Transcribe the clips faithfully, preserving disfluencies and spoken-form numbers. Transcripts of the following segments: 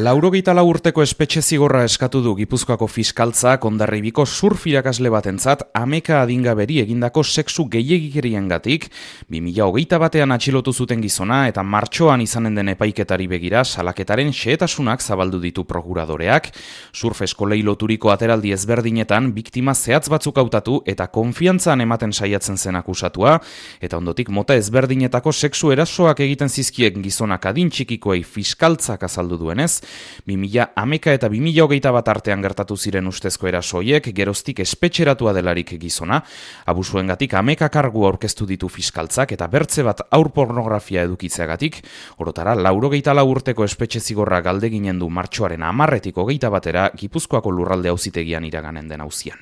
Laurogeita lau urteko espetxe zigorra eskatu du Gipuzkoako fiskaltzak Hondarribiko surf irakasle batentzat ameka adingaberi egindako sexu gehiegikeriengatik bi mila hogeita batean atxilotu zuten gizona eta martxoan izanen den epaiketari begira salaketaren xehetasunak zabaldu ditu prokuradoreak. Surf eskolei loturiko ateraldi ezberdinetan biktima zehatz batzuk hautatu eta konfiantzan ematen saiatzen zen akusatua, eta ondotik mota ezberdinetako sexu erasoak egiten zizkiek gizonak adin txikikoei fiskaltzak azaldu duen bi mila hameka eta bi mila hogeita bat artean gertatu ziren ustezko erasoiek geroztik espetxeratua delarik gizona, abusuengatik hameka kargu aurkeztu ditu fiskaltzak eta bertze bat haur pornografia edukitzeagatik, orotara laurogeita lau urteko espetxe zigorra galdeginen du martxoaren hamarretik hogeita batera Gipuzkoako lurralde auzitegian iraganen den auzian.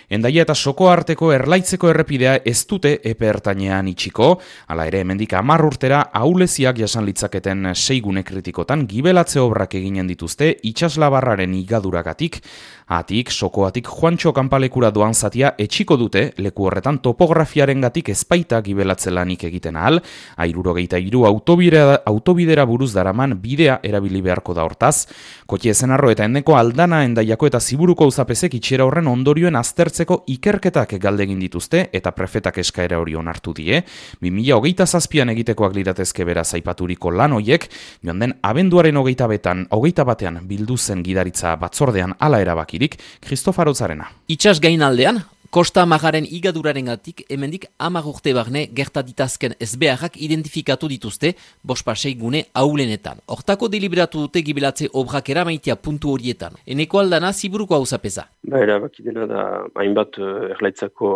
Hendaia eta Soko arteko Erlaitzeko errepidea ez dute epe ertainean itxiko, hala ere hemendik hamar urtera ahuleziak jasan litzaketen sei gune kritikotan gibelatze obrak eginen dituzte itsaslabarraren igaduragatik. Atik, Sokoatik Juantxo kanpalekura doan zatia etxiko dute, leku horretan topografiarengatik ezpaita gibelatze lanik egiten ahal, hirurogeita hiru autobidera, autobidera buruz daraman bidea erabili beharko da hortaz. Kotie Ezenarro eta Endeko Aldana, Hendaiako eta Ziburuko auzapezek itxiera horren ondorioen aztertzeko ikerketak galdegin dituzte eta prefetak eskaera hori onartu die. bi mila hogeita zazpian egitekoak liratezke beraz aipaturiko lan hoiek, joan den abenduaren hogeita betan, hogeita batean bildu zen gidaritza batzordean hala erabaki. Kristofaro Zarena. Itxas gainaldean, Kosta Magaren igadurarengatik hemendik hamar urte barne gertatitazken ezbeharrak identifikatu dituzte bospasei gune aulenetan. Hortako deliberatu dute gibelatze obrak eramaitea puntu horietan. Eneko Aldana Ziburuko auzapeza. Ba, erabaki dena da hainbat uh, Erlaitzako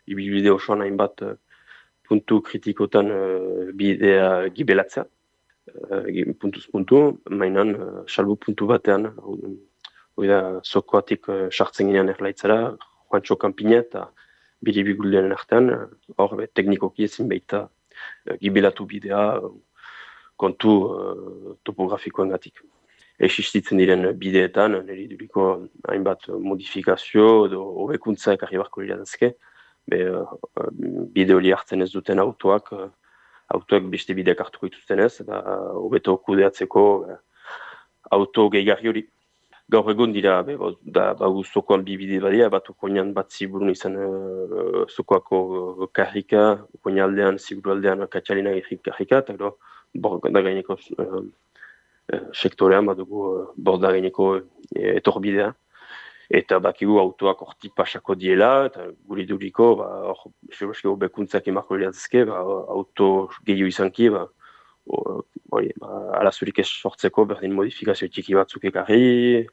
ibilbide osoan hainbat uh, puntu kritikotan uh, bidea gibelatzea. Uh, puntuz puntu, mainan uh, salbu puntu batean, uh, hoi da, Sokoatik sartzen uh, ginean Erlaitzara, Juantxo kanpina eta biribiguldeen artean, hor uh, teknikoki ezin baita uh, gibelatu bidea uh, kontu uh, topografikoengatik. Existitzen diren bideetan, niri duriko hainbat modifikazio edo hobekuntza ekarri barko liratezke, be uh, bide hori hartzen ez duten autoak, uh, autoak beste bideak hartuko dituzten ez, eta hobeto uh, kudeatzeko uh, auto gehigarri hori. Gaur egon dira, be, da, ba, Sokoan bi bide badia, bat okoinan bat Ziburun izan uh, Sokoako uh, karrika, okoinaldean, Ziburaldean Katxalina karrika, eta gero, borda gaineko uh, uh, sektorean, bat dugu uh, borda gaineko uh, etorbidea. Eta bakigu autoak horti pasako diela, eta guri duriko, ba, hor, seroski hobekuntzak emarko liratezke, ba, auto gehiago izanki, ba, Hori, ba, alazurik ez sortzeko berdin modifikazio txiki batzuk ekarri,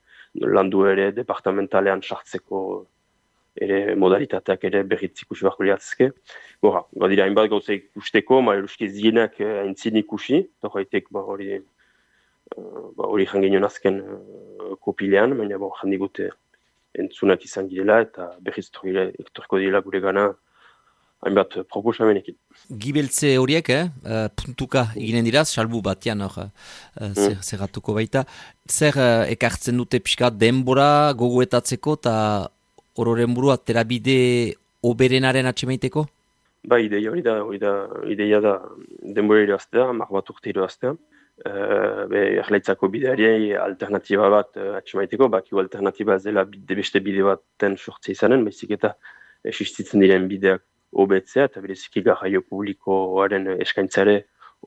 landu ere departamentalean sartzeko ere modalitateak ere berriz ikusi beharko liratezke. Gora, badira hainbat gauza ikusteko, ma eruski zienak aintzin ikusi, eta horretek ba, hori ba, hori janginon azken uh, kopilean, baina ba, jandigute entzunak izan girela eta berriz ektoriko dira gure gana hainbat proposamenekin. Gibeltze horiek, eh, puntuka eginen diraz, salbu batean hor eh, zer, mm. zerratuko baita. Zer eh, ekartzen dute pixka denbora gogoetatzeko eta ororen burua terabide oberenaren atxemaiteko? Ba, ideia hori da, hori da, ideia da denbora iraztea, mar bat urte iraztea. Uh, be, Erlaitzako bideari alternatiba bat uh, atxemaiteko, bakiu alternatiba ez dela bide, beste bide baten sortze izanen, baizik eta existitzen diren bideak hobetzea, eta bereziki garraio publikoaren eskaintzare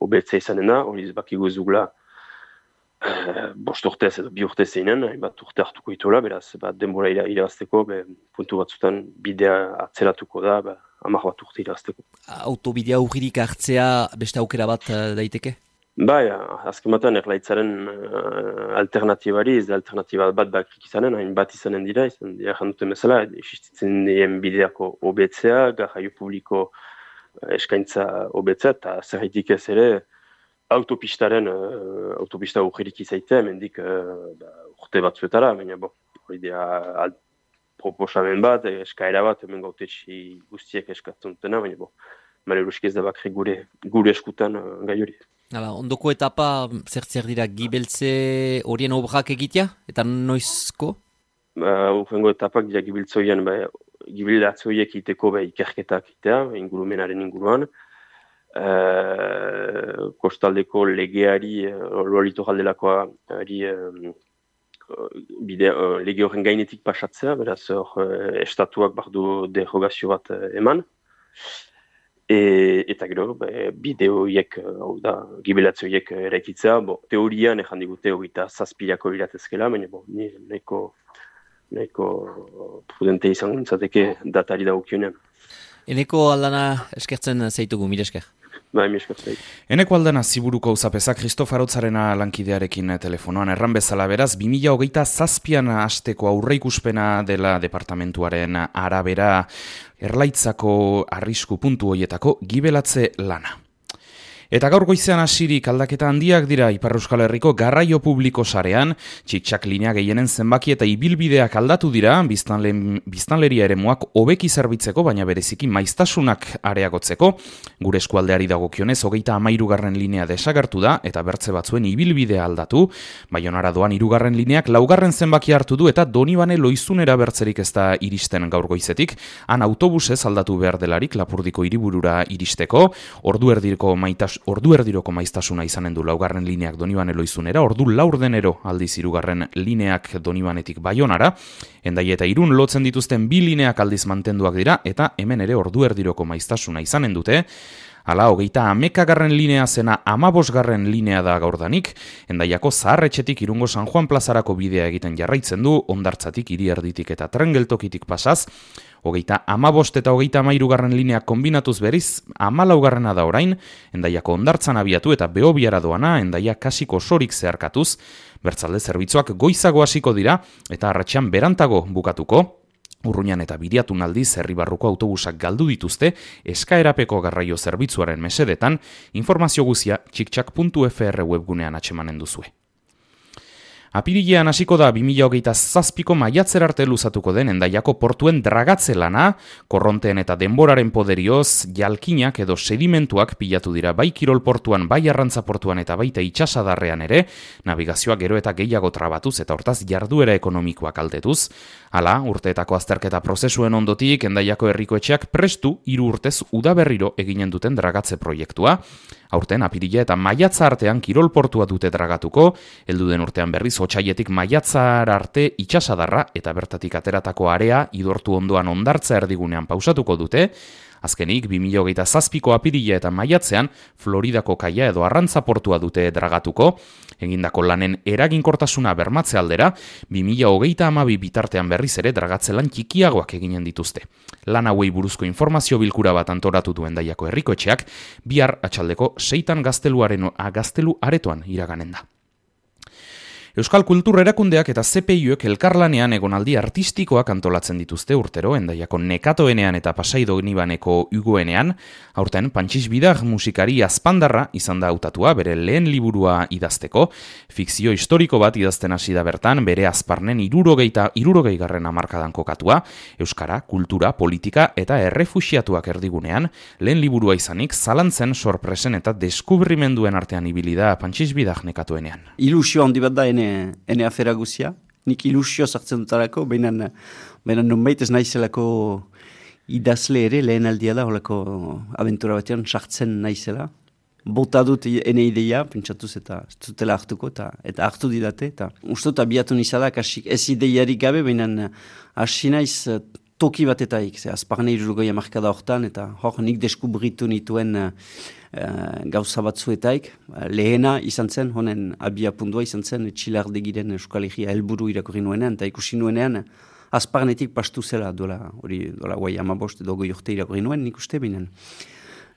hobetzea izanena, hori bakigu zugula uh, bost urtez edo bi urtez zeinen, bat urte hartuko itola, beraz bat denbora irabazteko, be, puntu batzutan bidea atzeratuko da, ba, hamar bat urte irabazteko. Autobidea urririk hartzea beste aukera bat uh, daiteke? Bai, azken batean Erlaitzaren uh, alternatibari, ez da alternatiba bat bakrik izanen, hain bat izanen dira, izan dira janduten bezala, existitzen dien bideako hobetzea, garraio publiko uh, eskaintza hobetzea, eta zerritik ez ere autopistaren, uh, autopista urririk izaitea, mendik uh, da, urte batzuetara, baina bo, hori dira proposamen bat, eskaera bat, hemen gautetxi guztiek eskatzen dutena, baina bo, maleruski ez da bakrik gure, gure eskutan uh, gai hori. Hala, ondoko etapa zer zer dira gibeltze horien obrak egitea eta noizko? Ba, urrengo etapak dira gibeltze horien, ba, gibilatze horiek iteko ba, ikerketak itea, ingurumenaren inguruan. uh, kostaldeko legeari, uh, litoraldelakoa ari um, bide, uh, lege horren gainetik pasatzea, beraz hor uh, estatuak bardu derogazio bat uh, eman. E, eta gero, be, bide horiek, hau da, gibelatze horiek eraikitzea, bo, teorian ejan digute hogeita zazpilako iratezkela, baina bo, ni nahiko nahiko prudente izango nintzateke datari dagokionean. Eneko Aldana eskertzen zaitugu, mire esker. Bai, mire esker zait. Eneko Aldana ziburuko uzapeza Kristofarotzarena lankidearekin telefonoan erran bezala beraz, bi mila hogeita zazpian hasteko aurreikuspena dela departamentuaren arabera Erlaitzako arrisku puntu hoietako gibelatze lana. Eta gaur goizean hasirik aldaketa handiak dira Ipar Euskal Herriko garraio publiko sarean, txik-txak linea gehienen zenbaki eta ibilbideak aldatu dira, biztanle, biztanleria eremuak hobeki zerbitzeko, baina bereziki maiztasunak areagotzeko. Gure eskualdeari dagokionez, hogeita hamairugarren linea desagertu da, eta bertze batzuen ibilbidea aldatu, Baionara doan hirugarren lineak laugarren zenbaki hartu du, eta Donibane Loizunera bertzerik ez da iristen gaur goizetik, han autobusez aldatu behar delarik Lapurdiko hiriburura iristeko, ordu erdirko maitas Ordu erdiroko maiztasuna izanen du laugarren lineak Donibane Loizunera, ordu laurdenero aldiz hirugarren lineak Donibanetik Baionara, Hendai eta Irun lotzen dituzten bi lineak aldiz mantenduak dira, eta hemen ere ordu erdiroko maiztasuna izanen dute. Hala, hogeita hamekagarren linea zena amabosgarren linea da gaurdanik, Hendaiako zaharretxetik Irungo San Juan plazarako bidea egiten jarraitzen du, Hondartzatik hiri erditik eta trengeltokitik pasaz, hogeita amabost eta hogeita amairugarren lineak kombinatuz beriz, amalaugarrena da orain, Hendaiako Hondartzan abiatu eta Behobiara doana, Hendaia kasiko sorik zeharkatuz, bertzalde zerbitzuak goizago hasiko dira, eta arratsean berantago bukatuko, Urruñan eta Biriatun aldiz herribarruko autobusak galdu dituzte eskaerapeko garraio zerbitzuaren mesedetan, informazio guzia txiktxak puntu f r webgunean atsemanen duzue. Apirilean hasiko da bi mila hogeita zazpiko maiatzer arte luzatuko den Hendaiako portuen dragatze lana, korronteen eta denboraren poderioz, jalkinak edo sedimentuak pilatu dira bai kirol portuan, bai arrantza portuan eta baita itsasadarrean ere, navigazioa gero eta gehiago trabatuz eta hortaz jarduera ekonomikoak kaltetuz. Hala, urteetako azterketa prozesuen ondotik, Hendaiako herriko etxeak prestu hiru urtez udaberriro eginen duten dragatze proiektua. Aurten apirila eta maiatza artean kirol portua dute dragatuko, heldu den urtean berriz otsaietik maiatzar arte itsasadarra eta bertatik ateratako area idortu ondoan Hondartza erdigunean pausatuko dute. Azkenik, bi mila hogeita zazpiko apirila eta maiatzean Floridako kaia edo arrantza portua dute dragatuko. Egindako lanen eraginkortasuna bermatze aldera, bi mila hogeita hamabi bitartean berriz ere dragatze lan txikiagoak eginen dituzte. Lan hauei buruzko informazio bilkura bat antolatu duen Hendaiako herriko etxeak, bihar atxaldeko seitan gazteluaren gaztelu aretoan iraganen da. Euskal Kultur Erakundeak eta Z P I-ek elkarlanean egonaldi artistikoak antolatzen dituzte urtero, Hendaiako Nekatoenean eta Pasai Donibaneko Ugoenean, aurten Pantxis Bidar musikari azpandarra izan da hautatua bere lehen liburua idazteko, fikzio historiko bat idazten hasi da bertan, bere azparnen irurogeita irurogeigarren hamarkadan kokatua, euskara, kultura, politika eta errefuxiatuak erdigunean, lehen liburua izanik zalantzen, sorpresen eta deskubrimenduen artean ibili da Pantxis Bidar Nekatoenean. Ilusio handi bat da ene, ene afera guzia. Nik ilusio sartzen dutarako, baina nonbait ez naizelako idazle ere lehen aldia da, holako abentura batean sartzen naizela. Bota dut ene ideia, pentsatuz eta zutela hartuko, eta, eta hartu didate. Eta uste dut abiatu nizadak, ez ideiarik gabe, baina hasi naiz toki batetaik, ze azparne irurgoi amarkada hortan, eta hor nik deskubritu nituen uh, gauza batzuetaik. Lehena izan zen, honen abia pundua izan zen, Txilardegiren Euskal Herria helburu irakurri nuenean, eta ikusi nuenean, azparnetik pastu zela, dola, hori, dola guai amabost, edo goi urte irakurri nuen, nik uste binen.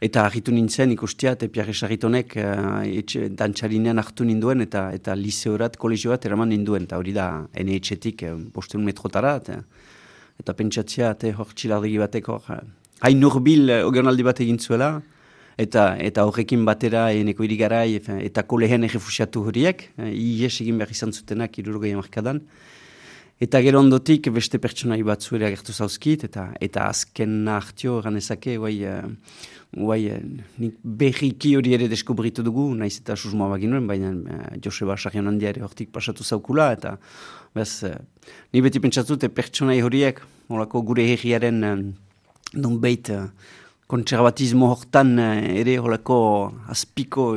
Eta argitu nintzen ikustia, eta Pierre Sarritonek uh, dantxarinean hartu ninduen, eta, eta liseorat, kolegioat eraman ninduen, eta hori da, ene etxetik, uh, bosteun metrotara, eta, eta pentsatzea, eta hor Txilardegi batek hor, uh, hain nurbil uh, ogeonaldi bat egin zuela, eta, eta horrekin batera eneko irigarai, eta kolehen errefusiatu horiek, uh, ies egin behar izan zutenak irurogei hamarkadan. Eta gero ondotik beste pertsonai batzu ere agertu zauzkit, eta, eta azken hartio ganezake, guai, uh, guai, uh, nik berriki hori ere deskubritu dugu, naiz eta susmoa baginuen, baina uh, Joseba Sarrion handia ere hortik pasatu zaukula, eta bez, uh, ni beti pentsatute pertsonai horiek, holako gure herriaren uh, nonbait uh, kontserbatismo hortan ere holako azpiko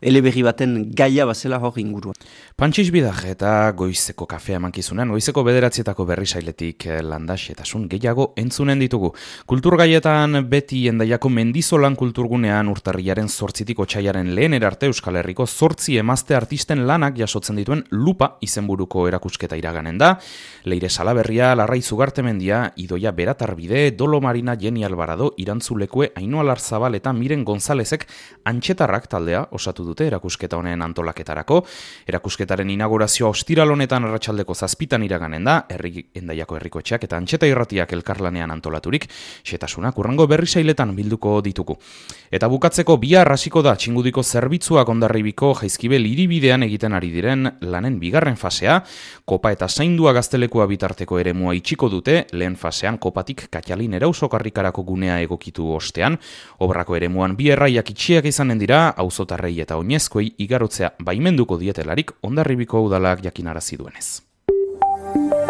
eleberri baten gaia bazela hor inguruan. Pantxix Bidaj eta goizeko kafea emankizunen, goizeko bederatzietako berri sailetik landaxetasun gehiago entzunen ditugu. Kulturgaietan beti Hendaiako Mendizolan kulturgunean urtarrilaren zortzitik otsailaren lehen erarte Euskal Herriko zortzi emazte artisten lanak jasotzen dituen Lupa izenburuko erakusketa iraganen da. Leire Salaberria, Larrai Zugartemendia, Idoia Beratarbide, Dolo Marina, Jenny Alvarado, Irantzulekue, Ainhoa Larzabal eta Miren Gonzalezek Antxetarrak taldea osatu dute erakusketa honen antolaketarako. Erakusketaren inaugurazioa ostiral honetan arratsaldeko zazpitan iraganen da, herri Hendaiako herriko etxeak eta Antxeta irratiak elkarlanean antolaturik, xetasunak urrengo berri sailetan bilduko ditugu. Eta bukatzeko bihar hasiko da Txingudiko zerbitzuak Hondarribiko Jaizkibel hiribidean egiten ari diren lanen bigarren fasea, kopa eta zaindua gaztelekua bitarteko eremua itxiko dute, lehen fasean kopatik Katxalin Erausokarrikarako gunea egokitu ostean, obrako eremuan bi erraiak itxiak izanen dira, auzotarrei eta oinezkoei igarotzea baimenduko dietelarik Hondarribiko udalak jakinarazi duenez.